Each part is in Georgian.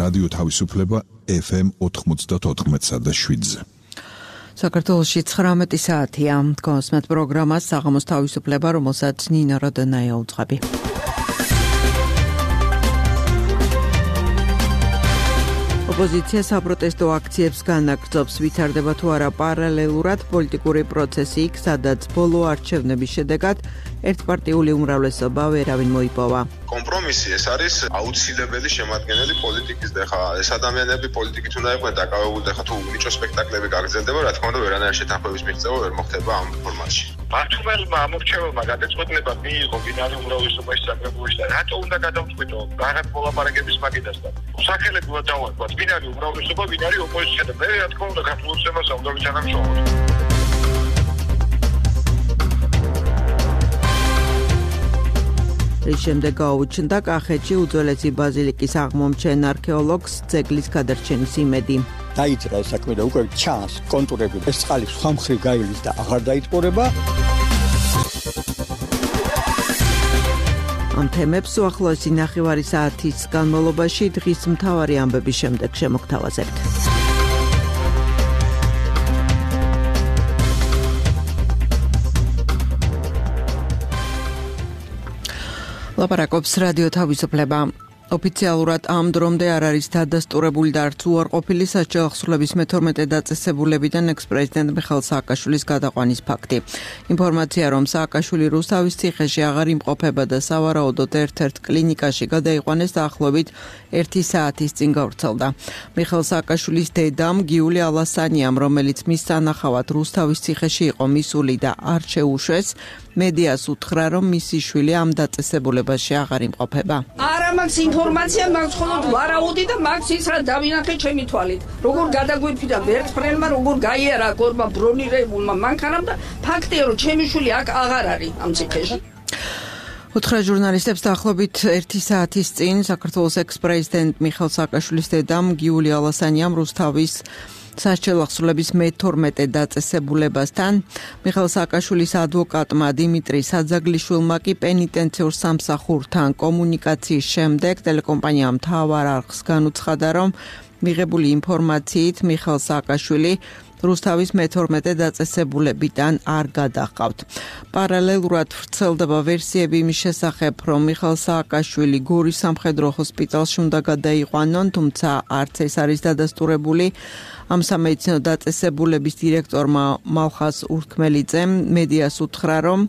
რადიო თავისუფლება FM 94.7-ზე. საქართველოში 19 საათია. კონსმეთ პროგრამას საღამოს თავისუფლება, რომელსაც ნინა როდონაია უძღვები. ოპოზიცია საპროტესტო აქციებს განაგრძობს, ვითარდება თუ არა პარალელურად პოლიტიკური პროცესი იქ, სადაც ბოლო არჩევნების შედეგად ერთპარტიული უმრავლესობა ვერავინ მოიპოვა. კომპრომისი ეს არის აუცილებელი შემადგენელი პოლიტიკის და ხა ეს ადამიანები პოლიტიკით უნდა იყვნენ დაკავებული და ხა თუ ნიჭო სპექტაკლები გაგრძელდება, რა თქმა უნდა ვერანაირ შეთანხმების მიღწევა ვერ მოხდება ამ ფორმატში. მართლმელმა ამორჩეველმა გადაწყვეტილება მიიღო ბინარი უმრავლესობაში საკრებულში და რატო უნდა გადავწყვიტო რაღაც მოლაპარაკების მაგიდასთან. სახელებურად დავარქვათ ბინარი უმრავლესობა, ბინარი ოპოზიცია და მე რა თქმა უნდა საქართველოს ემას უნდა ვიცანამშრომლობ. რის შემდეგ გაუჩნდა კახეთში უძველესი ბაზილიკის აღმომჩენ არქეოლოგს ძეგლის გადარჩენის იმედი. დაიწყა ეს საქმე და უკვე ჩანს კონტურები. ეს წყალი სხვა მხრივ გაივლის და აღარ დაიტყურება. ამ თემებს უახლოესი ნახევარი საათის განმავლობაში დღის მთავარი ამბების შემდეგ შემოგთავაზებთ. ლაპარაკობს რადიო თავისუფლება. ოფიციალურად ამ დრომდე არ არის დადასტურებული და არც უარყოფილი სასჯელახსრულების მე-12 დაწესებულებიდან ექს-პრეზიდენტ მიხეილ სააკაშვილის გადაყვანის ფაქტი. ინფორმაცია, რომ სააკაშვილი რუსთავის ციხეში აღარ იმყოფება და სავარაუდოდ ერთ-ერთ კლინიკაში გადაიყვანეს დაახლოებით 1 საათის წინ გავრცელდა. მიხეილ სააკაშვილის დედამ გიული ალასანიამ, რომელიც მის სანახავად რუსთავის ციხეში იყო მისული და არ შეუშვეს, მედიას უთხრა, რომ მისი შვილი ამ დაწესებულებაში აღარ იმყოფება. არა მაქვს ინფორმაცია, მაქვს მხოლოდ ვარაუდი და მაქვს ის რა დავინახე ჩემი თვალით. როგორ გადაგვირფიდა ვერტმფრენმა, როგორ გაიარა გორმა ბრონირებულმა მანქანამ და ფაქტია, რომ ჩემი შვილი აქ აღარ არის ამ ციხეში. უთხრა ჟურნალისტებს დაახლოებით 1 საათის წინ საქართველოს ექს-პრეზიდენტ მიხეილ სააკაშვილის დედამ გიული ალასანიამ რუსთავის სასჯელახსრულების მე-12 დაწესებულებასთან, მიხეილ სააკაშვილის ადვოკატმა დიმიტრი საძაგლიშვილმა კი პენიტენციურ სამსახურთან კომუნიკაციის შემდეგ ტელეკომპანიამ მთავარ არხს განუცხადა, რომ მიღებული ინფორმაციით მიხეილ სააკაშვილი რუსთავის მე-12 დაწესებულებიდან არ გადაჰყავთ. პარალელურად ვრცელდება ვერსიები იმის შესახებ, რომ მიხეილ სააკაშვილი გორის სამხედრო ჰოსპიტალში უნდა გადაიყვანონ, თუმცა არც ეს არის დადასტურებული. ამ სამედიცინო დაწესებულების დირექტორმა მალხას ურქმელიძემ მედიას უთხრა, რომ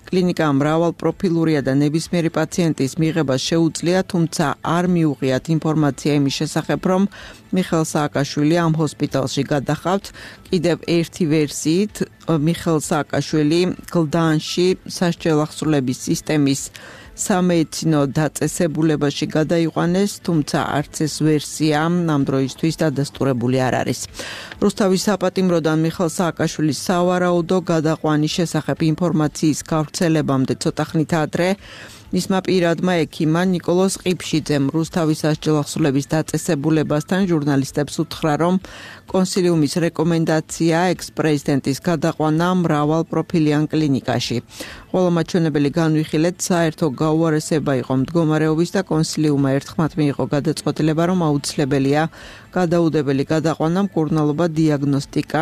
კლინიკა მრავალპროფილურია და ნებისმიერი პაციენტის მიღება შეუძლია, თუმცა არ მიუღიათ ინფორმაცია იმის შესახებ, რომ მიხეილ სააკაშვილი ამ ჰოსპიტალში გადაჰყავთ. კიდევ ერთი ვერსიით, მიხეილ სააკაშვილი გლდანში სასჯელახსრულების სისტემის სამედიცინო დაწესებულებაში გადაიყვანეს, თუმცა არც ეს ვერსია ამ დროისთვის დადასტურებული არ არის. რუსთავის საპატიმროდან მიხეილ სააკაშვილის სავარაუდო გადაყვანის შესახებ ინფორმაციის გავრცელებამდე ცოტა ხნით ადრე მისმა პირადმა ექიმმა ნიკოლოზ ყიფშიძემ რუსთავის სასჯელახსრულების დაწესებულებასთან ჟურნალისტებს უთხრა, რომ კონსილიუმის რეკომენდაცია ექს-პრეზიდენტის გადაყვანა მრავალპროფილიან კლინიკაში. ყველა მაჩვენებელი განვიხილეთ, საერთო გაუარესება იყო მდგომარეობის და კონსილიუმმა ერთხმად მიიღო გადაწყვეტილება, რომ აუცილებელია გადაუდებელი გადაყვანა მკურნალობა დიაგნოსტიკა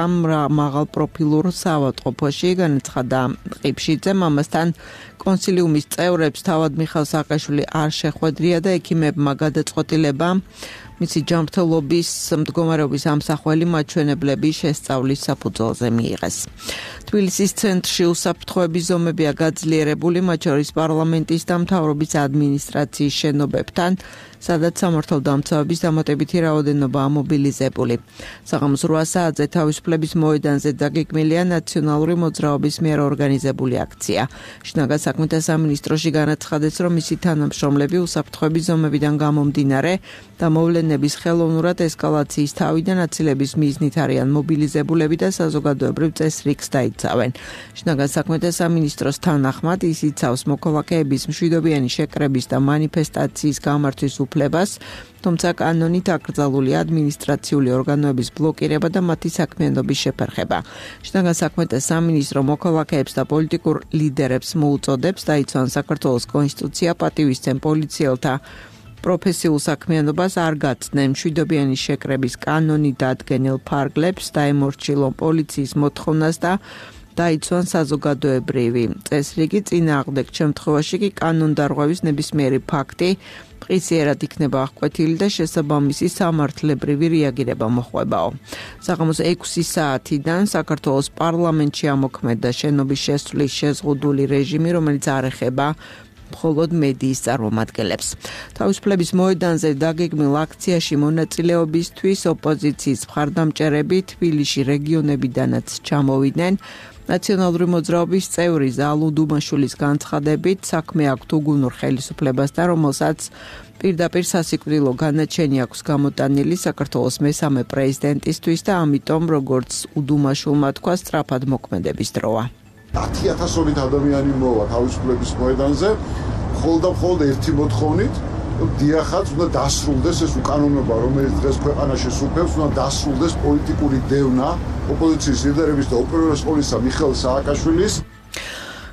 მაღალპროფილურ საავადმყოფოში, განაცხადა ყიფშიძემ. ამასთან კონსილიუმის წევრებს თავად მიხეილ სააკაშვილი არ შეხვედრია და ექიმებმა გადაწყვეტილება მისი ჯანმრთელობის მდგომარეობის ამსახველი მაჩვენებლების შესწავლის საფუძველზე მიიღეს. თბილისის ცენტრში უსაფრთხოების ზომებია გაძლიერებული, მათ შორის პარლამენტის და მთავრობის ადმინისტრაციის შენობებთან, სადაც სამართალდამცავების დამატებითი რაოდენობაა მობილიზებული. საღამოს 8 საათზე თავისუფლების მოედანზე დაგეგმილია ნაციონალური მოძრაობის მიერ ორგანიზებული აქცია. შინაგან საქმეთა სამინისტროში განაცხადეს, რომ მისი თანამშრომლები უსაფრთხოების ზომებიდან გამომდინარე და მოვლენების ხელოვნურად ესკალაციის თავიდან აცილების მიზნით არიან მობილიზებულები და საზოგადოებრივ წესრიგს დაიცავენ. შინაგან საქმეთა სამინისტროს თანახმად ის იცავს მოქალაქეების მშვიდობიანი შეკრების და მანიფესტაციის გამართვის უფლებას, თუმცა კანონით აკრძალულია ადმინისტრაციული ორგანოების ბლოკირება და მათი საქმიანობის შეფერხება. შინაგან საქმეთა სამინისტრო მოქალაქეებს და პოლიტიკურ ლიდერებს მოუწოდებს დაიცვან საქართველოს კონსტიტუცია, პატივისცემ პოლიციელთა პროფესიულ საქმიანობას არ გაცდნენ, მშვიდობიანი შეკრების კანონი დადგენილ ფარგლებს, დაემორჩილონ პოლიციის მოთხოვნას და დაიცვან საზოგადოებრივი წესრიგი, წინააღმდეგ შემთხვევაში კი კანონდარღვევის ნებისმიერი ფაქტი მყისიერად იქნება აღკვეთილი და შესაბამისი სამართლებრივი რეაგირება მოხვებაო. საღამოს 6 საათიდან საქართველოს პარლამენტში ამოქმედა შენობის შესვლის შეზღუდული რეჟიმი, რომელიც არ ეხება მხოლოდ მედიის წარმომადგენლებს. თავისუფლების მოედანზე დაგეგმილ აქციაში მონაწილეობისთვის ოპოზიციის მხარდამჭერები თბილისში რეგიონებიდანაც ჩამოვიდნენ. ნაციონალური მოძრაობის წევრი ზალუ დუმაშვილის განცხადებით, საქმე აქვთ უგუნურ ხელისუფლებასთან, რომელსაც პირდაპირ სასიკვდილო განაჩენი აქვს გამოტანილი საქართველოს მესამე პრეზიდენტისთვის და ამიტომ, როგორც უდუმაშვილმა თქვა, სწრაფად მოქმედების დროა. 10,000-ობით ადამიანი მოვა თავისუფლების მოედანზე, მხოლოდ ერთი მოთხოვნით, დიახაც უნდა დასრულდეს ეს უკანონობა, რომელიც დღეს ქვეყანაში სუფევს, უნდა დასრულდეს პოლიტიკური დევნა ოპოზიციის ლიდერების და ოპერატორის პოლისა მიხეილ სააკაშვილის.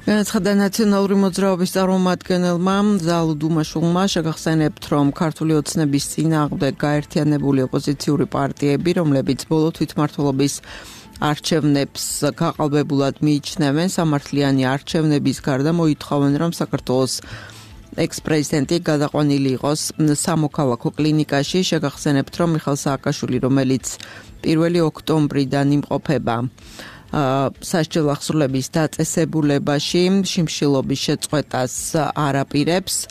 განაცხადა ნაციონალური მოძრაობის წარმომადგენელმა ზალუ დუმაშვილმა, შეგახსენებთ, რომ ქართული ოცნების წინააღმდეგ გაერთიანებული ოპოზიციური პარტიები, რომლებიც ბოლო თვითმმართველობის არჩევნებს გაყალბებულად მიიჩნევენ, სამართლიანი არჩევნების გარდა მოითხოვენ, რომ საქართველოს ექს-პრეზიდენტი გადაყვანილი იყოს სამოქალაქო კლინიკაში. შეგახსენებთ, რომ მიხეილ სააკაშვილი, რომელიც 1 ოქტომბრიდან იმყოფება სასჯელ აღსრულების დაწესებულებაში, შიმშილობის შეწყვეტას არ აპირებს.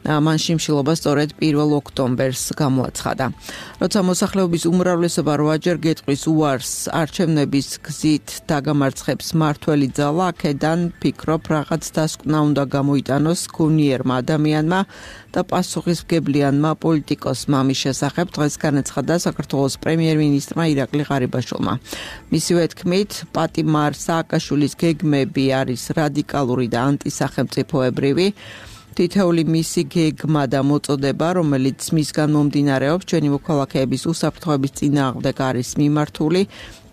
მან შიმშილობა სწორედ 1 ოქტომბერს გამოაცხადა. როცა მოსახლეობის უმრავლესობა 8-ჯერ გეტყვის უარს არჩევნების გზით დაგამარცხებს მართველი ძალა, აქედან ფიქრობ რაღაც დასკვნა უნდა გამოიტანოს გონიერმა ადამიანმა და პასუხისმგებლიანმა პოლიტიკოსმა. მის შესახებ დღეს განაცხადა საქართველოს პრემიერ-მინისტრმა ირაკლი ღარიბაშვილმა. მისივე თქმით, პატიმარ სააკაშვილის გეგმები არის რადიკალური და ანტისახელმწიფოებრივი. თითეული მისი გეგმა და მოწოდება, რომელიც მისგან მომდინარეობს, ჩვენი მოქალაქეების უსაფრთხოების წინააღმდეგ არის მიმართული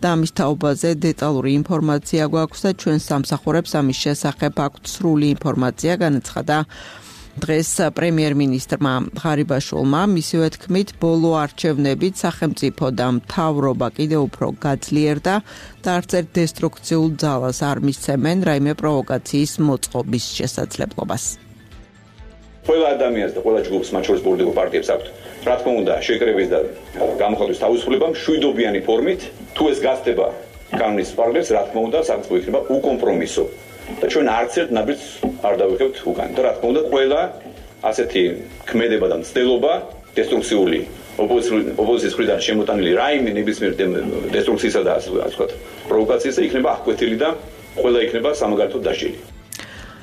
და ამის თაობაზე დეტალური ინფორმაცია გვაქვს და ჩვენ სამსახურებს ამის შესახებ აქვთ სრული ინფორმაცია, განაცხადა დღეს პრემიერ-მინისტრმა ღარიბაშვილმა. მისივე თქმით, ბოლო არჩევნებით სახელმწიფო და მთავრობა კიდევ უფრო გაძლიერდა და არც ერთ დესტრუქციულ ძალას არ მისცემენ რაიმე პროვოკაციის მოწყობის შესაძლებლობას. ყველა ადამიანს და ყველა ჯგუფს, მათ შორის პოლიტიკურ პარტიებს აქვთ, რა თქმა უნდა, შეკრების და გამოხატვის თავისუფლება მშვიდობიანი ფორმით, თუ ეს გასწდება კანონის პარალელს, რა თქმა უნდა, სახელმწიფო იქნება უკომპრომისო. და ჩვენ არც ერთ ნაბიჯს არ დავიხებთ უკან. და რა თქმა უნდა, ყველა ასეთი ქმედება და მცდელობა დესტრუქციული ოპოზიციის მხრიდან შემოტანილი რაიმე ნებისმიერ დესტრუქციისა და ასე ვთქვათ, პროვოკაციისა იქნება აღკვეთილი და ყველა იქნება სამაგალითოდ დასჯილი.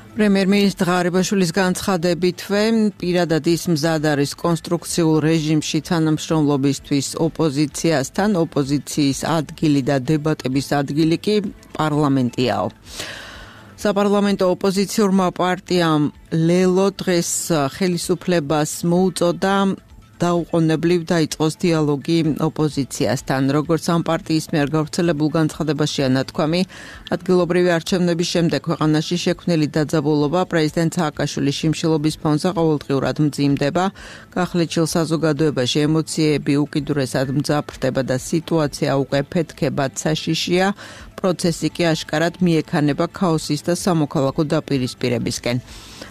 პრემიერ-მინისტრ ღარიბაშვილის განცხადებითვე, პირადად ის მზად არის კონსტრუქციულ რეჟიმში თანამშრომლობისთვის ოპოზიციასთან, ოპოზიციის ადგილი და დებატების ადგილი კი პარლამენტიაო. საპარლამენტო ოპოზიციურმა პარტიამ ლელო დღეს ხელისუფლებას მოუწოდა დაუყოვნებლივ დაიწყოს დიალოგი ოპოზიციასთან. როგორც ამ პარტიის მიერ გავრცელებულ განცხადებაშია ნათქვამი, ადგილობრივი არჩევნების შემდეგ ქვეყანაში შექმნილი დაძაბულობა პრეზიდენტ სააკაშვილის შიმშილობის ფონზე ყოველდღიურად მძიმდება. გახლეჩილ საზოგადოებაში ემოციები უკიდურესად მძაფრდება და სიტუაცია უკვე ფეთქებად საშიშია. პროცესი კი აშკარად მიექანება ქაოსის და სამოქალაქო დაპირისპირებისკენ.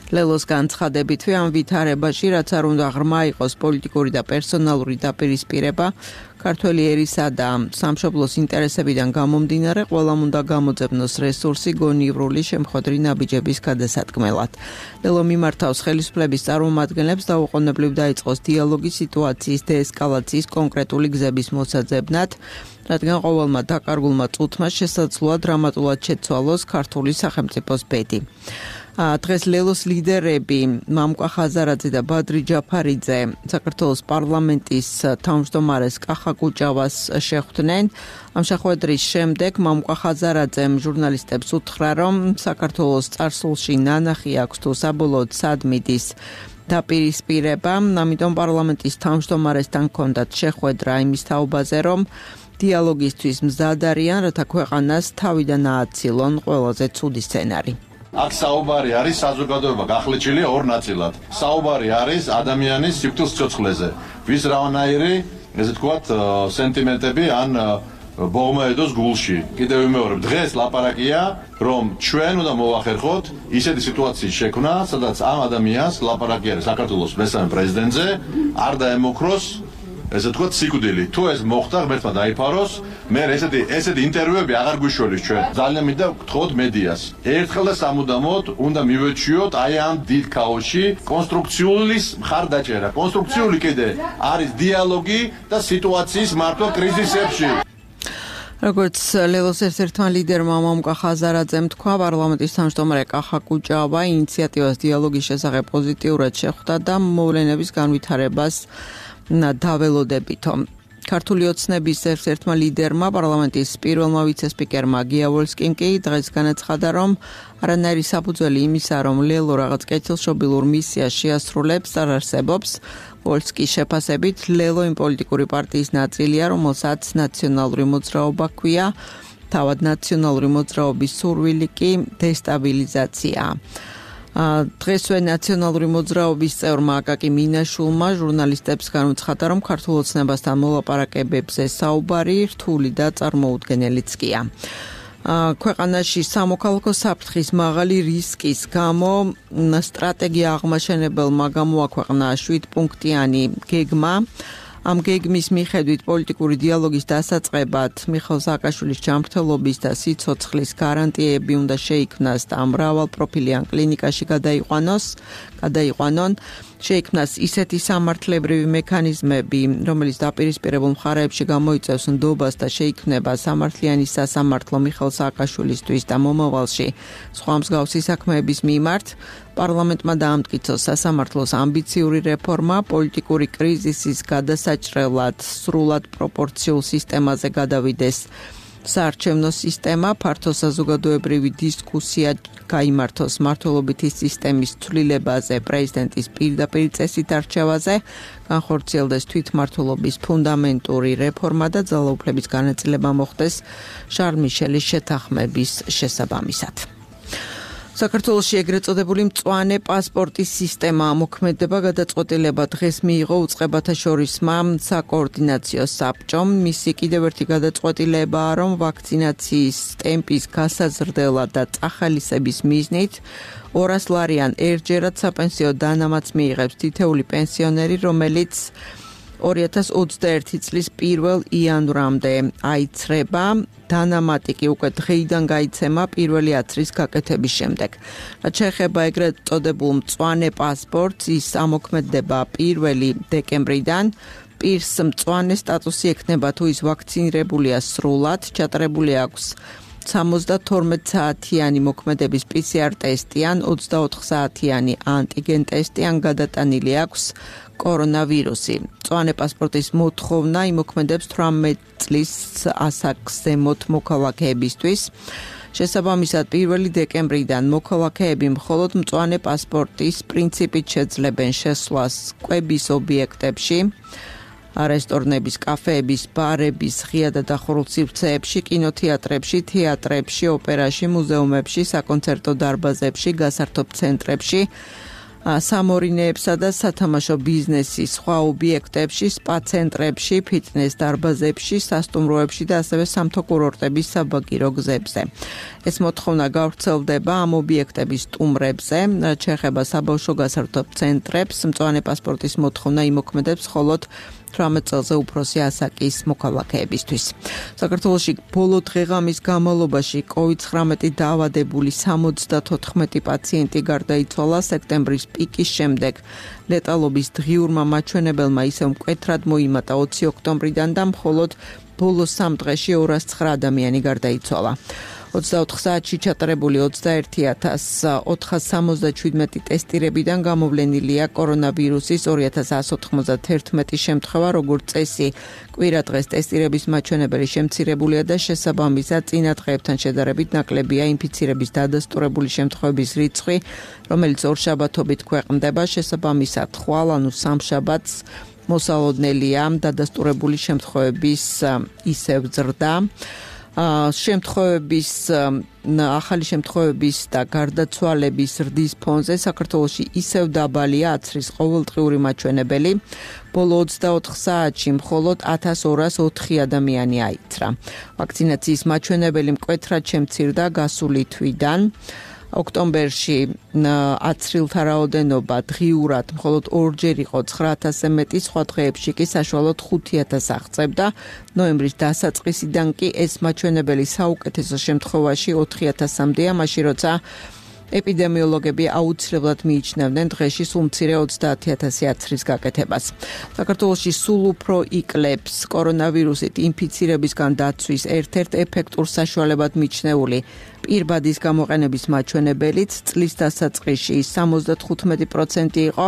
ლელოს განცხადებითვე ამ ვითარებაში, რაც არ უნდა ღრმა იყოს პოლიტიკური და პერსონალური დაპირისპირება, ქართველი ერისა და სამშობლოს ინტერესებიდან გამომდინარე, ყველამ უნდა გამოძებნოს რესურსი გონივრული შემხვედრი ნაბიჯების გადასატკმელად. ლელო მიმართავს ხელისუფლების წარმომადგენლებს დაუყოვნებლივ დაიწყოს დიალოგი სიტუაციის დეესკალაციის კონკრეტული გზების მოსაძებნად, რადგან ყოველმა დაკარგულმა წუთმა შესაძლოა დრამატულად შეცვალოს ქართული სახელმწიფოს ბედი. დღეს ლელოს ლიდერები მამკვა ხაზარაძე და ბადრი ჯაფარიძე საქართველოს პარლამენტის თავმჯდომარეს კახა კუჭავას შეხვდნენ. ამ შეხვედრის შემდეგ მამკვა ხაზარაძემ ჟურნალისტებს უთხრა, რომ საქართველოს წარსულში ნანახი აქვს თუ საბოლოოდ სადმიდის დაპირისპირება, ამიტომ პარლამენტის თავმჯდომარესთან ჰქონდათ შეხვედრა იმის თაობაზე, რომ დიალოგისთვის მზად არიან, რათა ქვეყანას თავიდან ააცილონ ყველაზე ცუდი სცენარი. აქ საუბარი არის საზოგადოება გახლეჩილია ორ ნაწილად. საუბარი არის ადამიანის სიკვდილის სიცოცხლეზე. ვის რანაირი, ესე ვთქვათ, სენტიმენტები ან ბოღმაედოს გულში. კიდევ ვიმეორებ, დღეს ლაპარაკია, რომ ჩვენ უნდა მოვახერხოთ ისეთი სიტუაციის შექმნა, სადაც ამ ადამიანს ლაპარაკი არის საქართველოს მესამე პრეზიდენტზე, არ დაემოქროს, ესე ვთქვათ, სიკვდილი. თუ ეს მოხდა, ღმერთმა დაიფაროს, მე ესეთი ინტერვიუები აღარ გვიშველის ჩვენ. ძალიან მინდა გთხოვოთ მედიას. ერთხელ და სამუდამოდ უნდა მივეჩვიოთ აი ამ დიდ ქაოსში კონსტრუქციული მხარდაჭერა. კონსტრუქციული კიდე არის დიალოგი და სიტუაციის მართვა კრიზისებში. როგორც ლელოს ერთ-ერთმა ლიდერმა მამუკა ხაზარაძემ თქვა, პარლამენტის თავმჯდომარე კახა კუჭავა ინიციატივას დიალოგის შესახებ პოზიტიურად შეხვდა და მოვლენების განვითარებას დაველოდებითო. ქართული ოცნების ერთ-ერთმა ლიდერმა პარლამენტის პირველმა ვიცე-სპიკერმა გია ვოლსკიმ კი დღეს განაცხადა, რომ არანაირი საფუძველი იმისა, რომ ლელო რაღაც კეთილშობილურ მისიას შეასრულებს, არ არსებობს. ვოლსკის შეფასებით, ლელო იმ პოლიტიკური პარტიის ნაწილია, რომელსაც ნაციონალური მოძრაობა ჰქვია, თავად ნაციონალური მოძრაობის სურვილი კი დესტაბილიზაციაა. დღესვე ნაციონალური მოძრაობის წევრმა აკაკი მინაშვილმა ჟურნალისტებს განუცხადა, რომ ქართულ ოცნებასთან მოლაპარაკებებზე საუბარი რთული და წარმოუდგენელიც კია. ქვეყანაში სამოქალაქო საფრთხის მაღალი რისკის გამო სტრატეგია აღმაშენებელმა გამოაქვეყნა 7-პუნქტიანი გეგმა. ამ გეგმის მიხედვით პოლიტიკური დიალოგის დასაწყებად მიხეილ სააკაშვილის ჯანმრთელობის და სიცოცხლის გარანტიები უნდა შეიქმნას და მრავალპროფილიან კლინიკაში გადაიყვანონ. შეიქმნას ისეთი სამართლებრივი მექანიზმები, რომელიც დაპირისპირებულ მხარეებში გამოიწვევს ნდობას და შეიქმნება სამართლიანი სასამართლო მიხეილ სააკაშვილისთვის და მომავალში სხვა მსგავსი საქმეების მიმართ. პარლამენტმა დაამტკიცო სასამართლოს ამბიციური რეფორმა, პოლიტიკური კრიზისის გადასაჭრელად სრულად პროპორციულ სისტემაზე გადავიდეს საარჩევნო სისტემა, ფართო საზოგადოებრივი დისკუსია გაიმართოს მმართველობითი სისტემის ცვლილებაზე, პრეზიდენტის პირდაპირ წესით არჩევაზე, განხორციელდეს თვითმმართველობის ფუნდამენტური რეფორმა და ძალაუფლების განაწილება მოხდეს შარლ მიშელის შეთანხმების შესაბამისად. საქართველოში ეგრეთ წოდებული მწვანე პასპორტის სისტემა მოქმედება გადაწყვეტილება დღეს მიიღო უწყებათა შორისმა საკოორდინაციო საბჭომ. მისი კიდევ ერთი გადაწყვეტილებაა, რომ ვაქცინაციის ტემპის გასაზრდელად და წახალისების მიზნით 200 ლარიან ერთჯერად საპენსიო დანამატს მიიღებს თითეული პენსიონერი, რომელიც 2021 წლის 1 იანვრამდე აიცრება. დანამატი კი უკვე დღეიდან გაიცემა პირველი აცრის გაკეთების შემდეგ. რაც შეეხება ეგრეთ წოდებულ მწვანე პასპორტს, ის ამოქმედდება 1 დეკემბრიდან. პირს მწვანე სტატუსი ექნება, თუ ის ვაქცინირებულია სრულად, ჩატარებული აქვს 72 საათიანი მოქმედების PCR ტესტი ან 24 საათიანი ანტიგენ ტესტი ან გადატანილი აქვს კორონავირუსი. მწვანე პასპორტის მოთხოვნა იმოქმედებს 18 წლის ასაკს ზემოთ მოქალაქეებისთვის. შესაბამისად 1 დეკემბრიდან მოქალაქეები მხოლოდ მწვანე პასპორტის პრინციპით შეძლებენ შესვლას კვების ობიექტებში, რესტორნების, კაფეების, ბარების, ღია და დახურულ სივრცეებში, კინოთეატრებში, თეატრებში, ოპერაში, მუზეუმებში, საკონცერტო დარბაზებში, გასართობ ცენტრებში, სამორინეებსა და სათამაშო ბიზნესის სხვა ობიექტებში, სპა ცენტრებში, ფიტნეს დარბაზებში, სასტუმროებში და ასევე სამთო კურორტების საბაგირო გზებზე. ეს მოთხოვნა გავრცელდება ამ ობიექტების სტუმრებზე, რაც შეეხება საბავშვო გასართობ ცენტრებს, მწვანე პასპორტის მოთხოვნა იმოქმედებს მხოლოდ 18 წელზე უფროსი ასაკის მოქალაქეებისთვის. საქართველოში ბოლო დღეღამის განმავლობაში COVID-19 დაავადებული 74 პაციენტი გარდაიცვალა. სექტემბრის პიკის შემდეგ ლეტალობის დღიურმა მაჩვენებელმა ისევ მკვეთრად მოიმატა 20 ოქტომბრიდან და მხოლოდ ბოლო 3 დღეში 209 ადამიანი გარდაიცვალა. 24 საათში ჩატარებული 21477 ტესტირებიდან გამოვლენილია კორონავირუსის 2191 შემთხვევა, როგორც წესი, კვირა დღეს ტესტირების მაჩვენებელი შემცირებულია და შესაბამისად წინა დღეებთან შედარებით ნაკლებია ინფიცირების დადასტურებული შემთხვევების რიცხვი, რომელიც ორშაბათობით ქვეყნდება, შესაბამისად ხვალ, ანუ სამშაბათს მოსალოდნელია დადასტურებული შემთხვევების ისევ ზრდა. შემთხვევების ახალი შემთხვევების და გარდაცვალების ზრდის ფონზე საქართველოში ისევ დაბალია აცრის ყოველდღიური მაჩვენებელი. ბოლო 24 საათში მხოლოდ 1204 ადამიანი აიცრა. ვაქცინაციის მაჩვენებელი მკვეთრად შემცირდა გასული თვიდან. ოქტომბერში აცრილთა რაოდენობა დღიურად მხოლოდ ორჯერ იყო 9000-ზე მეტი, სხვა დღეებში კი საშუალოდ 5000 აღწევდა. ნოემბრის დასაწყისიდან კი ეს მაჩვენებელი საუკეთესო შემთხვევაში 4000-მდეა, მაშინ როცა ეპიდემიოლოგები აუცილებლად მიიჩნევდნენ დღეში სულ მცირე 30000 აცრის გაკეთებას. საქართველოში სულ უფრო იკლებს კორონავირუსით ინფიცირებისგან დაცვის ერთ-ერთ ეფექტურ საშუალებად მიჩნეული პირბადის გამოყენების მაჩვენებელიც წლის დასაწყისში 75% იყო,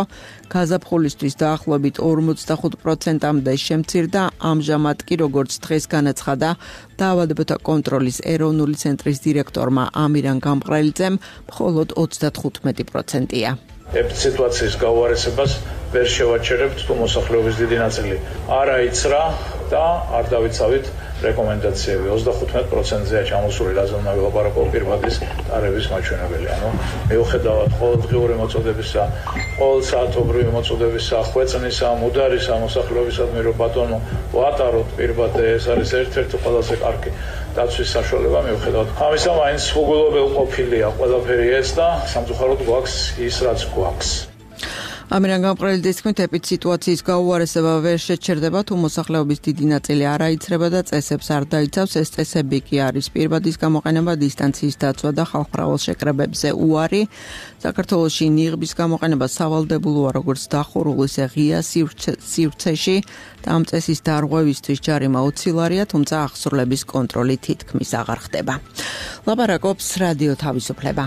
გაზაფხულისთვის დაახლოებით 45%-მდე შემცირდა, ამჟამად კი როგორც დღეს განაცხადა დაავადებათა კონტროლის ეროვნული ცენტრის დირექტორმა ამირან გამყრელიძემ, მხოლოდ 35%-ია. სიტუაციის გაუარესებას ვერ შევაჩერებთ, თუ მოსახლეობის დიდი ნაწილი არ აიცრა და არ დავიცავით რეკომენდაციები. 35%-ზეა ჩამოსული, რაზე უნდა ვილაპარაკო პირბადის ტარების მაჩვენებელი. მიუხედავად ყოველდღიური მოწოდებისა, ყოველსაათობრივი მოწოდებისა, ხვეწნისა, მუდარისა მოსახლეობისადმი, რომ ბატონო ვატაროთ პირბადე, ეს არის ერთ-ერთი ყველაზე კარგი დაცვის საშუალება. მიუხედავად ამისა, მაინც უგულობელყოფილია ყველაფერი ეს და სამწუხაროდ გვაქვს ის, რაც გვაქვს. ამირან გამყრელიძის თქმით, სიტუაციის გაუარესება ვერ შეჩერდება, თუ მოსახლეობის დიდი ნაწილი არ აიცრება და წესებს არ დაიცავს. ეს წესები კი არის პირბადის გამოყენება, დისტანციის დაცვა და ხალხმრავალ შეკრებებზე უარი. საქართველოში ნიღბის გამოყენება სავალდებულოა როგორც დახურულ, ისე ღია სივრცეში და ამ წესის დარღვევისთვის ჯარიმა 20 ლარია, თუმცა აღსრულების კონტროლი თითქმის აღარ ხდება. ლაპარაკობს რადიო თავისუფლება.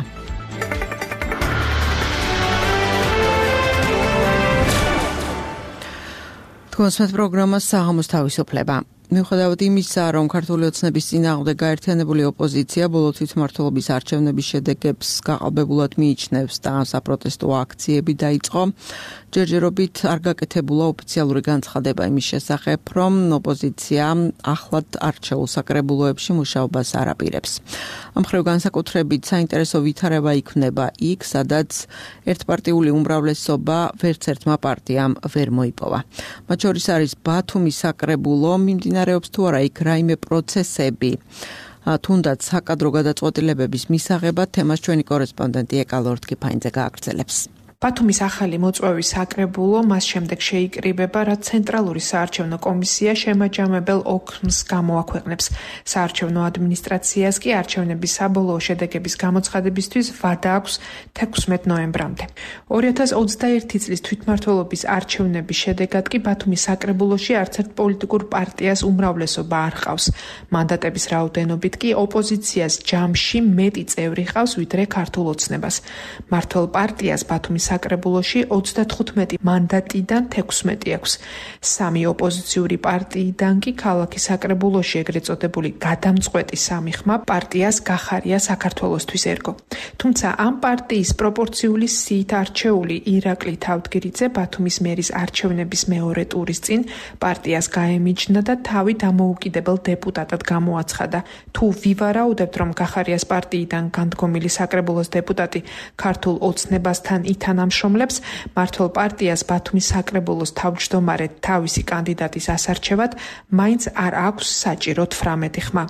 თქვენს პროგრამას საღამოს თავისუფლება. მიუხედავად იმისა, რომ ქართული ოცნების წინააღმდეგ გაერთიანებული ოპოზიცია ბოლო თვითმმართველობის არჩევნების შედეგებს გაყალბებულად მიიჩნევს და საპროტესტო აქციები დაიწყო, ჯერჯერობით არ გაკეთებულა ოფიციალური განცხადება იმის შესახებ, რომ ოპოზიცია ახლად არჩეულ საკრებულოებში მუშაობას არ აპირებს. ამ მხრივ განსაკუთრებით საინტერესო ვითარება იქნება იქ, სადაც ერთპარტიული უმრავლესობა ვერც ერთმა პარტიამ ვერ მოიპოვა. მათ შორის არის ბათუმის საკრებულო, მიმდინარეობს თუ არა იქ რაიმე პროცესები, თუნდაც საკადრო გადაწყვეტილებების მისაღებად, თემას ჩვენი კორესპონდენტი ეკალორ თქიფაინძე გააგრძელებს. ბათუმის ახალი მოწვევის საკრებულო მას შემდეგ შეიკრიბება, რაც ცენტრალური საარჩევნო კომისია შემაჯამებელ ოქმს გამოაქვეყნებს. საარჩევნო ადმინისტრაციას კი არჩევნების საბოლოო შედეგების გამოცხადებისთვის ვადა აქვს 16 ნოემბრამდე. 2021 წლის თვითმმართველობის არჩევნების შედეგად კი ბათუმის საკრებულოში არც ერთ პოლიტიკურ პარტიას უმრავლესობა არ ჰყავს. მანდატების რაოდენობით კი ოპოზიციას ჯამში მეტი წევრი ჰყავს, ვიდრე ქართულ ოცნებას. მმართველ პარტიას ბათუმის საკრებულოში 35 მანდატიდან 16 აქვს. სამი ოპოზიციური პარტიიდან კი ქალაქის საკრებულოში ეგრეთ წოდებული გადამწყვეტი სამი ხმა პარტიას გახარია საქართველოსთვის ერგო. თუმცა ამ პარტიის პროპორციული სიით არჩეული ირაკლი თავდგირიძე ბათუმის მერის არჩევნების მეორე ტურის წინ პარტიას გაემიჯნა და თავი დამოუკიდებელ დეპუტატად გამოაცხადა. თუ ვივარაუდებთ, რომ გახარიას პარტიიდან განდგომილი საკრებულოს დეპუტატი ქართულ ოცნებასთან თანამშრომლებს, მმართველ პარტიას ბათუმის საკრებულოს თავმჯდომარედ თავისი კანდიდატის ასარჩევად მაინც არ აქვს საჭირო 18 ხმა.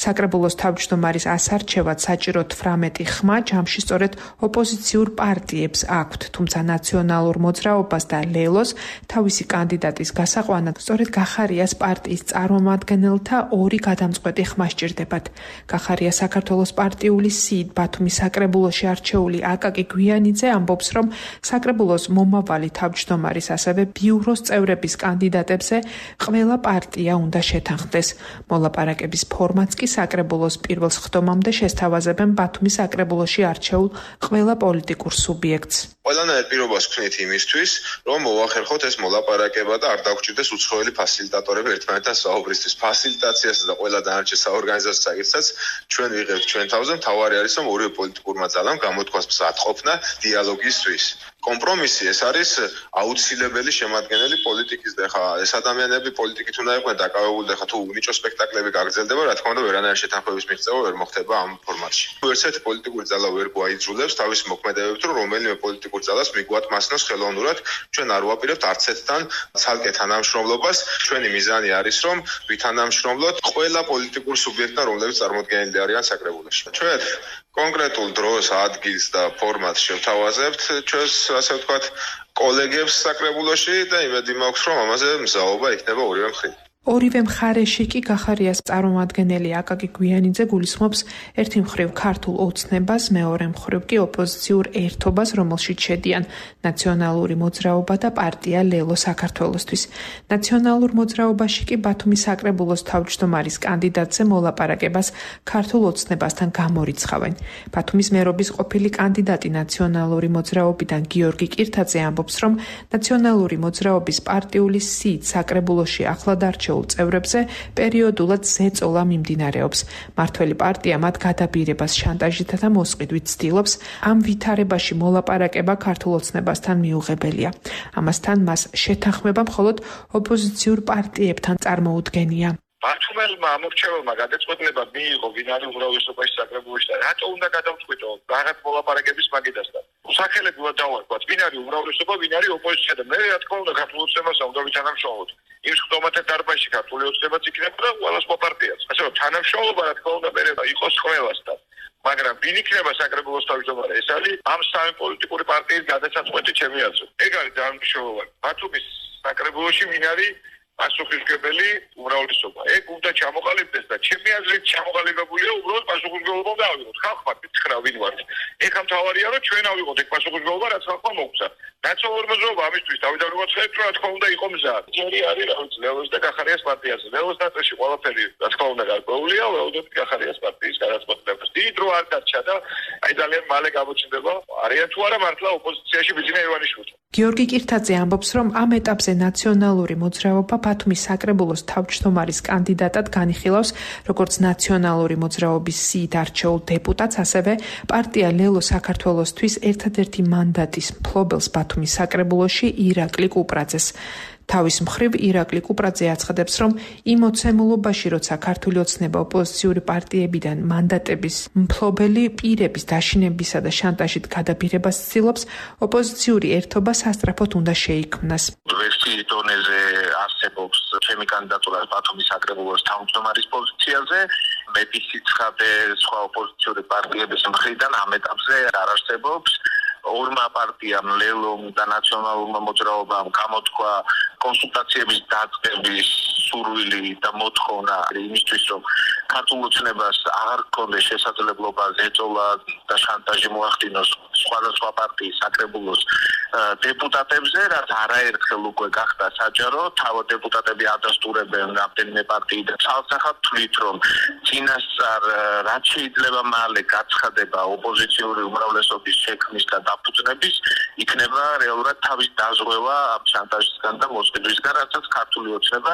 საკრებულოს თავმჯდომარის ასარჩევად საჭირო 18 ხმა ჯამში სწორედ ოპოზიციურ პარტიებს აქვთ, თუმცა ნაციონალურ მოძრაობას და ლელოს თავისი კანდიდატის გასაყვანად სწორედ გახარიას პარტიის წარმომადგენელთა 2 გადამწყვეტი ხმა სჭირდებათ. გახარია საქართველოს პარტიული სიით ბათუმის საკრებულოში არჩეული აკაკი გვიანიძე ამბობს, რომ საკრებულოს მომავალი თავმჯდომარის ასევე ბიუროს წევრების კანდიდატებზე ყველა პარტია უნდა შეთანხმდეს. მოლაპარაკების ფორმატს კი საკრებულოს პირველ სხდომამდე შესთავაზებენ ბათუმის საკრებულოში არჩეულ ყველა პოლიტიკურ სუბიექტს. ყველანაირ პირობას ვქნით იმისთვის, რომ მოვახერხოთ ეს მოლაპარაკება და არ დაგვჭირდეს უცხოელი ფასილიტატორები ერთმანეთთან საუბრისთვის. ფასილიტაციასა და ყველა დანარჩენ საორგანიზაციო საკითხსაც ჩვენ ვიღებთ ჩვენ თავზე. მთავარი არის, რომ ორივე პოლიტიკურმა ძალამ გამოთქვას მზადყოფნა დიალოგისთვის. არის კომპრომისი, ეს არის აუცილებელი შემადგენელი პოლიტიკის და ხა ეს ადამიანები პოლიტიკით უნდა იყვნენ დაკავებული და ხა თუ უნიჭო სპექტაკლები გაგრძელდება, რა თქმა უნდა, ვერანაირი შეთანხმების მიღწევა ვერ მოხდება ამ ფორმატში. ერთ პოლიტიკური ძალა ვერ გვაიძულებს თავის მოქმედებებით, რომ რომელიმე პოლიტიკურ ძალას მიგვატმასნოს ხელოვნურად, ჩვენ არ ვაპირებთ არც ერთთან ცალკე თანამშრომლობას. ჩვენი მიზანი არის, რომ ვითანამშრომლოთ ყველა პოლიტიკურ სუბიექტთან, რომლებიც წარმოდგენილი არიან საკრებულოში. ჩვენ კონკრეტულ დროს, ადგილს და ფორმატს შევთავაზებთ ჩვენს, ასე ვთქვათ, კოლეგებს საკრებულოში და იმედი მაქვს, რომ ამაზე მზაობა იქნება ორივე მხრიდან. ორივე მხარეში კი გახარიას წარმომადგენელი აკაკი გვიანიძე გულისხმობს ერთი მხრივ ქართულ ოცნებას, მეორე მხრივ კი ოპოზიციურ ერთობას, რომელშიც შედიან ნაციონალური მოძრაობა და პარტია ლელო საქართველოსთვის. ნაციონალურ მოძრაობაში კი ბათუმის საკრებულოს თავმჯდომარის კანდიდატზე მოლაპარაკებას ქართულ ოცნებასთან გამორიცხავენ. ბათუმის მერობის ყოფილი კანდიდატი ნაციონალური მოძრაობიდან გიორგი კირთაძე ამბობს, რომ ნაციონალური მოძრაობის პარტიული სიით საკრებულოში ახლად არჩეულ წევრებზე პერიოდულად ზეწოლა მიმდინარეობს. მართველი პარტია მათ გადაბირებას შანტაჟითა და მოსყიდვით ცდილობს. ამ ვითარებაში მოლაპარაკება ქართულ ოცნებასთან მიუღებელია. ამასთან მას შეთანხმება მხოლოდ ოპოზიციურ პარტიებთან წარმოუდგენია. ბათუმელმა ამორჩეველმა გადაწყვეტილება მიიღო ვინარი უმრავლესობაში საკრებულოში და რატო უნდა გადავწყვიტო რაღაც მოლაპარაკების მაგიდასთან. სახელები უნდა დავარქვათ, ვინ არის უმრავლესობა, ვინ არის ოპოზიცია და მე რა თქმა უნდა ქართულ ოცნებასთან უნდა ვითანამშრომლოთ. იმ ხდომათა დარბაზში ქართული ოცნებაც იქნება და ყველა პარტიაც. ასე რომ თანამშრომლობა რა თქმა უნდა მერე იყოს ყველასთან. მაგრამ ვინ იქნება საკრებულოს თავმჯდომარე? ეს არის ამ სამი პოლიტიკური პარტიის გადაწყვეტი ჩემი აზრით. ეგ არის ძალიან მნიშვნელოვანი. ბათუმის საკრებულოში ვინ არის პასუხისმგებელი უმრავლესობა. ეგ უნდა ჩამოყალიბდეს და ჩემი აზრით ჩამოყალიბებულია უბრალოდ პასუხისმგებლობა და ავიღოთ. ხალხმა მითხრა ვინ ვართ. ეგ ამთავარია რომ ჩვენ ავიღოთ ეგ პასუხისმგებლობა რაც ხალხმა მოგცა. ნაციონალური მოძრაობა ამისთვის თავიდან მოგაცხადეთ რომ რა თქმა უნდა იყო მზა. ჯერი არის რა ვიცი ლელოს და გახარიას პარტიაზე. ლელოს ნაწილში ყველაფერი რა თქმა უნდა გარკვეულია, ველოდებით გახარიას პარტიის გადაწყვეტილებას. დიდი დრო არ დარჩა და აი ძალიან მალე გამოჩნდება არიან თუ არა მართლა ოპოზიციაში ბიძინა ივანიშვილი. გიორგი კირთაძე ამბობს, რომ ამ ეტაპზე ნაციონალური მოძრაობა ბათუმის საკრებულოს თავმჯდომარის კანდიდატად განიხილავს როგორც ნაციონალური მოძრაობის სიით არჩეულ დეპუტატს, ასევე პარტია ლელო საქართველოსთვის ერთადერთი მანდატის მფლობელს ბათუმის საკრებულოში ირაკლი კუპრაძეს. თავის მხრივ ირაკლი კუპრაძე აცხადებს, რომ იმ ოცნებობაში, როცა ქართული ოცნება ოპოზიციური პარტიებიდან მანდატების მფლობელი პირების დაშინებისა და შანტაჟით გადაბირებას ცდილობს, ოპოზიციური ერთობა სასწრაფოდ უნდა შეიქმნას. ვერსიის დონეზე არსებობს ჩემი კანდიდატურა ბათუმის საკრებულოს თავმჯდომარის პოზიციაზე. მეტი სიცხადე სხვა ოპოზიციური პარტიების მხრიდან ამ ეტაპზე არ არსებობს. ორმა პარტიამ ლელომ და ნაციონალურმა მოძრაობამ გამოთქვა კონსულტაციების დაწყების სურვილი და მოთხოვნა იმისთვის, რომ ქართულ ოცნებას აღარ ჰქონდეს შესაძლებლობა ზეწოლა და შანტაჟი მოახდინოს სხვადასხვა პარტიის საკრებულოს დეპუტატებზე, რაც არაერთხელ უკვე გახდა საჯარო. თავად დეპუტატები ადასტურებენ რამდენიმე პარტიიდან. ცალსახად თვლით, რომ წინასწარ რაც შეიძლება მალე გაცხადება ოპოზიციური უმრავლესობის შექმნის და დაფუძნების, იქნება რეალურად თავის დაზღვევა ამ შანტაჟისგან და მოსყიდვისგან, რასაც ქართული ოცნება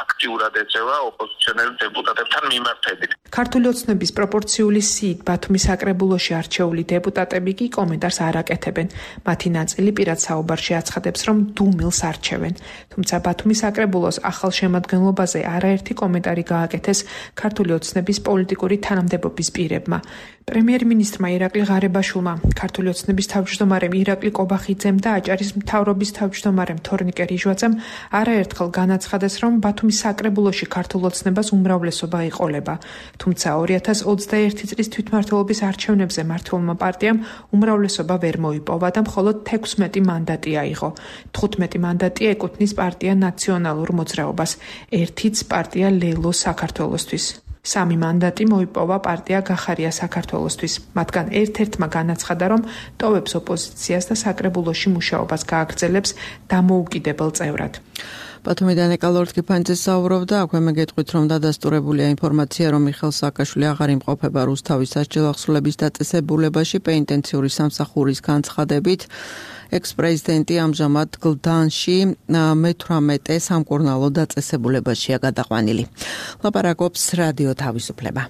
აქტიურად ეწევა ოპოზიციონერ დეპუტატებთან მიმართებით. ქართული ოცნების პროპორციული სიით ბათუმის საკრებულოში არჩეული დეპუტატები კი კომენტარს არ აკეთებენ. მათი ნაწილი პირად საუბარში აცხადებს, რომ დუმილს არჩევენ. თუმცა ბათუმის საკრებულოს ახალ შემადგენლობაზე არაერთი კომენტარი გააკეთეს ქართული ოცნების პოლიტიკური თანამდებობის პირებმა. პრემიერ-მინისტრმა ირაკლი ღარებაშვილმა, ქართული ოცნების თავმჯდომარემ ირაკლი კობახიძემ და აჭარის მთავრობის თავმჯდომარემ თორნიკე რიჟვაძემ არაერთხელ განაცხადეს, რომ ბათუმის საკრებულოში ქართულ ოცნებას უმრავლესობა ეყოლება. თუმცა 2021 წლის თვითმმართველობის არჩევნებზე მმართველმა პარტიამ უმრავლესობა ვერ მოიპოვა და მხოლოდ 16 მანდატი აიღო. 15 მანდატი ეკუთვნის პარტია ნაციონალურ მოძრაობას, ერთიც პარტია ლელო საქართველოსთვის. 3 მანდატი მოიპოვა პარტია გახარია საქართველოსთვის. მათგან ერთ-ერთმა განაცხადა, რომ ტოვებს ოპოზიციას და საკრებულოში მუშაობას გააგრძელებს დამოუკიდებელ წევრად. ბათუმიდან ეკალორდ კიფანიძე საუბრობდა, აქვე მე გეტყვით, რომ დადასტურებულია ინფორმაცია, რომ მიხეილ სააკაშვილი აღარ იმყოფება რუსთავის სასჯელ აღსრულების დაწესებულებაში პენიტენციური სამსახურის განცხადებით. ექს-პრეზიდენტი ამჟამად გლდანში მე-18 სამკურნალო დაწესებულებაშია გადაყვანილი. ლაპარაკობს რადიო თავისუფლება.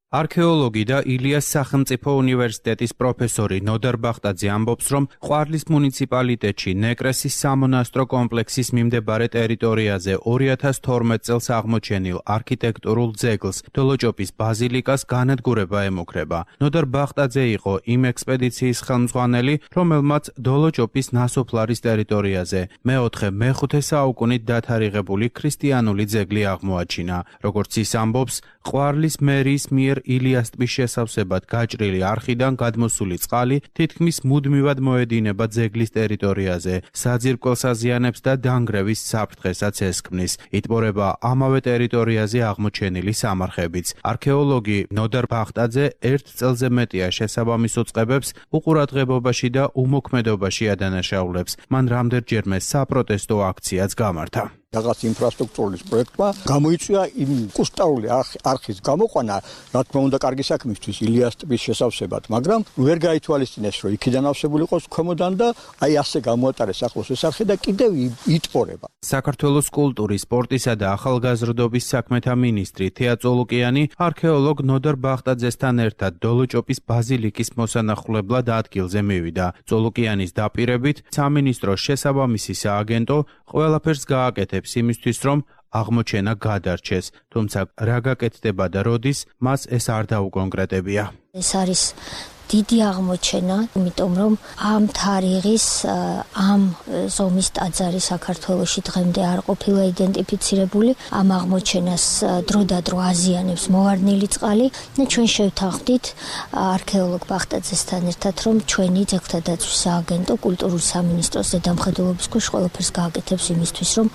არქეოლოგი და ილიას სახელმწიფო უნივერსიტეტის პროფესორი ნოდარ ბახტაძე ამბობს, რომ ყვარლის მუნიციპალიტეტში ნეკრესის სამონასტრო კომპლექსის მიმდებარე ტერიტორიაზე 2012 წელს აღმოჩენილ არქიტექტურულ ძეგლს დოლოჭოპის ბაზილიკას განადგურება ემუქრება. ნოდარ ბახტაძე იყო იმ ექსპედიციის ხელმძღვანელი, რომელმაც დოლოჭოპის ნასოფლარის ტერიტორიაზე მე-4-მე-5 საუკუნით დათარიღებული ქრისტიანული ძეგლი აღმოაჩინა. როგორც ის ამბობს, ყვარლის მერის მიერ ილიას ტბის შესავსებად გაჭრილი არხიდან გადმოსული წყალი თითქმის მუდმივად მოედინება ძეგლის ტერიტორიაზე, საძირკველს აზიანებს და დანგრევის საფრთხესაც ესქმნის. იტბორება ამავე ტერიტორიაზე აღმოჩენილი სამარხებიც. არქეოლოგი ნოდარ ბახტაძე 1 წელზე მეტია შესაბამის უწყებებს უყურადღებობაში და უმოქმედობაში ადანაშაულებს. მან რამდენჯერმე საპროტესტო აქციაც გამართა. რაღაც ინფრასტრუქტურის პროექტმა გამოიწვია იმ კუსტარული არხის გამოყვანა, რა თქმა უნდა, კარგი საქმისთვის ილიას ტბის შესავსებად, მაგრამ ვერ გაითვალისწინეს, რომ იქიდან ავსებული იყოს ქვემოდან და აი ასე გამოატარეს ახლოს ეს არხი და კიდევ იტბორება. საქართველოს კულტურის, სპორტისა და ახალგაზრდობის საქმეთა მინისტრი თეა წოლუკიანი არქეოლოგ ნოდარ ბახტაძესთან ერთად დოლოჭოპის ბაზილიკის მოსანახულებლად ადგილზე მივიდა. წოლუკიანის დაპირებით სამინისტროს შესაბამისი სააგენტო ყველაფერს გააკეთებს იმისთვის, რომ აღმოჩენა გადარჩეს, თუმცა რა გაკეთდება და როდის, მას ეს არ დაუკონკრეტებია. ეს არის დიდი აღმოჩენა, იმიტომ რომ ამ თარიღის, ამ ზომის ტაძარი საქართველოში დღემდე არ ყოფილა იდენტიფიცირებული. ამ აღმოჩენას დროდადრო აზიანებს მოვარდნილი წყალი და ჩვენ შევთანხმდით არქეოლოგ ბახტაძესთან ერთად, რომ ჩვენი ძეგლთა დაცვის სააგენტო კულტურის სამინისტროს ზედამხედველობის ქვეშ ყველაფერს გააკეთებს იმისთვის, რომ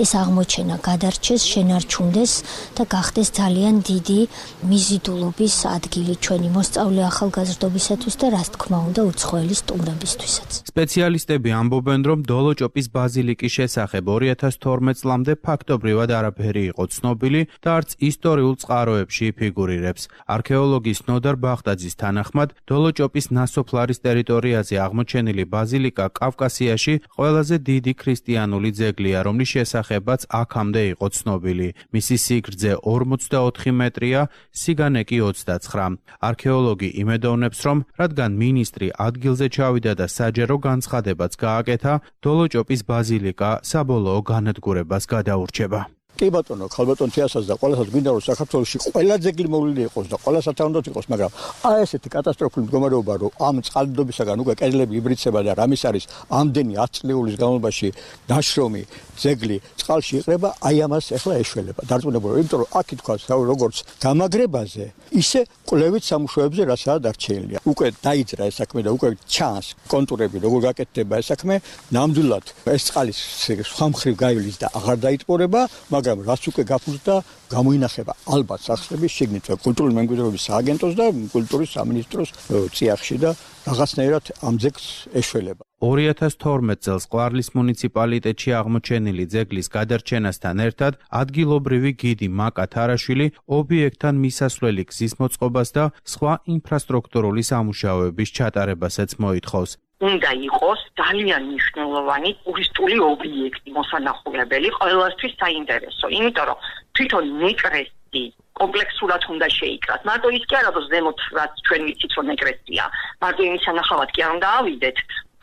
ეს აღმოჩენა გადარჩეს, შენარჩუნდეს და გახდეს ძალიან დიდი მიზიდულობის ადგილი ჩვენი მოსწავლე ახალგაზრდობის და რას თქმა უნდა უცხოელი სტუმრებისთვისაც. სპეციალისტები ამბობენ, რომ დოლოჭოპის ბაზილიკის შესახებ 2012 წლამდე ფაქტობრივად არაფერი იყო ცნობილი და არც ისტორიულ წყაროებში ფიგურირებს. არქეოლოგის ნოდარ ბახტაძის თანახმად, დოლოჭოპის ნასოფლარის ტერიტორიაზე აღმოჩენილი ბაზილიკა კავკასიაში ყველაზე დიდი ქრისტიანული ძეგლია, რომლის შესახებაც აქამდე იყო ცნობილი. მისი სიგრძე 44 მეტრია, სიგანე კი 29. არქეოლოგი იმედოვნებს, რომ რადგან მინისტრი ადგილზე ჩავიდა და საჯარო განცხადებაც გააკეთა, დოლოჭოპის ბაზილიკა საბოლოო განადგურებას გადაურჩება. კი ბატონო, ხალბატონ თეასაც და ყველასაც გვინდა რომ საქართველოში ყველა ძეგლი მოვლილი იყოს და ყველა სათანადოდ იყოს, მაგრამ აი ესეთი კატასტროფული მდგომარეობა, რომ ამ წყალდიდობისაგან უკვე კედლები იბრიცება და რამის არის ამდენი 10 წლების განმავლობაში დაშრომი ძეგლი წყალში იყრება, აი ამას ახლა ეშველება. დარწმუნებული, იმიტომ რომ აქ ითქვა, როგორც გამაგრებაზე, ისე კვლევით სამუშაოებზე რასაა დარჩენილი. უკვე დაიძრა ეს საქმე და უკვე ჩანს კონტურები, როგორ გაკეთდება ეს საქმე. ნამდვილად ეს წყალი სხვა მხრივ გაივლის და აღარ დაიტბორება, მაგრამ რაც უკვე გაფუძდა გამოინახება ალბათ სახსრების შიგნით კულტურული მემკვიდრეობის სააგენტოს და კულტურის სამინისტროს წიაღში და რაღაცნაირად ამ ძეგლს ეშველება. 2012 წელს ყვარლის მუნიციპალიტეტში აღმოჩენილი ძეგლის გადარჩენასთან ერთად ადგილობრივი გიდი მაკა თარაშვილი ობიექტთან მისასვლელი გზის მოწყობას და სხვა ინფრასტრუქტურული სამუშაოების ჩატარებასაც მოითხოვს. უნდა იყოს ძალიან მნიშვნელოვანი ტურისტული ობიექტი, მოსანახულებელი, ყველასთვის საინტერესო, იმიტომ რომ თვითონ ნეკრესი კომპლექსურად უნდა შეიკრას. მარტო ის კი არა, რომ ზემოთ რაც ჩვენ ვიცით, რომ ნეკრესია, მარტო იმის სანახავად კი არ უნდა ავიდეთ.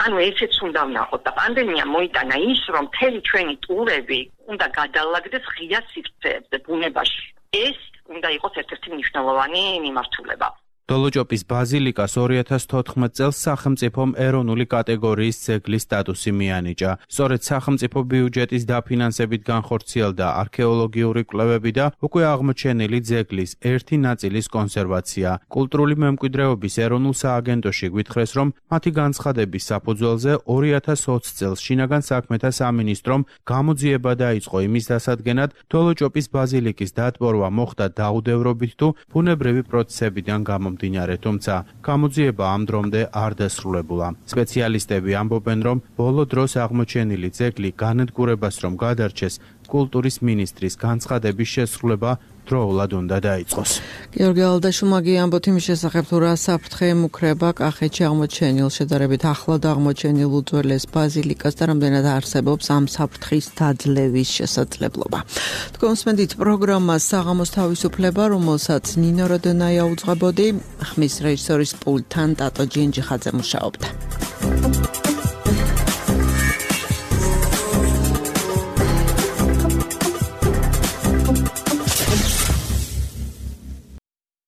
ანუ ესეც უნდა ვნახოთ და პანდემია მოიტანა ის, რომ მთელი ჩვენი ტურები უნდა გადალაგდეს ღია სივრცეებზე ბუნებაში. ეს უნდა იყოს ერთ-ერთი მნიშვნელოვანი მიმართულება. დოლოჭოპის ბაზილიკას 2014 წელს სახელმწიფომ ეროვნული კატეგორიის ძეგლის სტატუსი მიანიჭა. სწორედ სახელმწიფო ბიუჯეტის დაფინანსებით განხორციელდა არქეოლოგიური კვლევები და უკვე აღმოჩენილი ძეგლის ერთი ნაწილის კონსერვაცია. კულტურული მემკვიდრეობის ეროვნულ სააგენტოში გვითხრეს, რომ მათი განცხადების საფუძველზე 2020 წელს შინაგან საქმეთა სამინისტრომ გამოძიება დაიწყო იმის დასადგენად, დოლოჭოპის ბაზილიკის დატბორვა მოხდა დაუდევრობით თუ ბუნებრივი პროცესებიდან გამომდინარე. თუმცა გამოძიება ამ დრომდე არ დასრულებულა. სპეციალისტები ამბობენ, რომ ბოლო დროს აღმოჩენილი ძეგლი განადგურებას რომ გადარჩეს, კულტურის მინისტრის განცხადების შესრულება დროულად უნდა დაიწყოს. გიორგი ალდაშუმაგი ამბობთ იმის შესახებ, თუ რა საფრთხე ემუქრება კახეთში აღმოჩენილ შედარებით ახლად აღმოჩენილ უძველეს ბაზილიკას და რამდენად არსებობს ამ საფრთხის დაძლევის შესაძლებლობა. თქვენსმენდით პროგრამა საღამოს თავისუფლება, რომელსაც ნინო როდონაია უძღვებოდი, ხმის რეჟისორის პულტთან ტატო ჯინჯიხაძე მუშაობდა.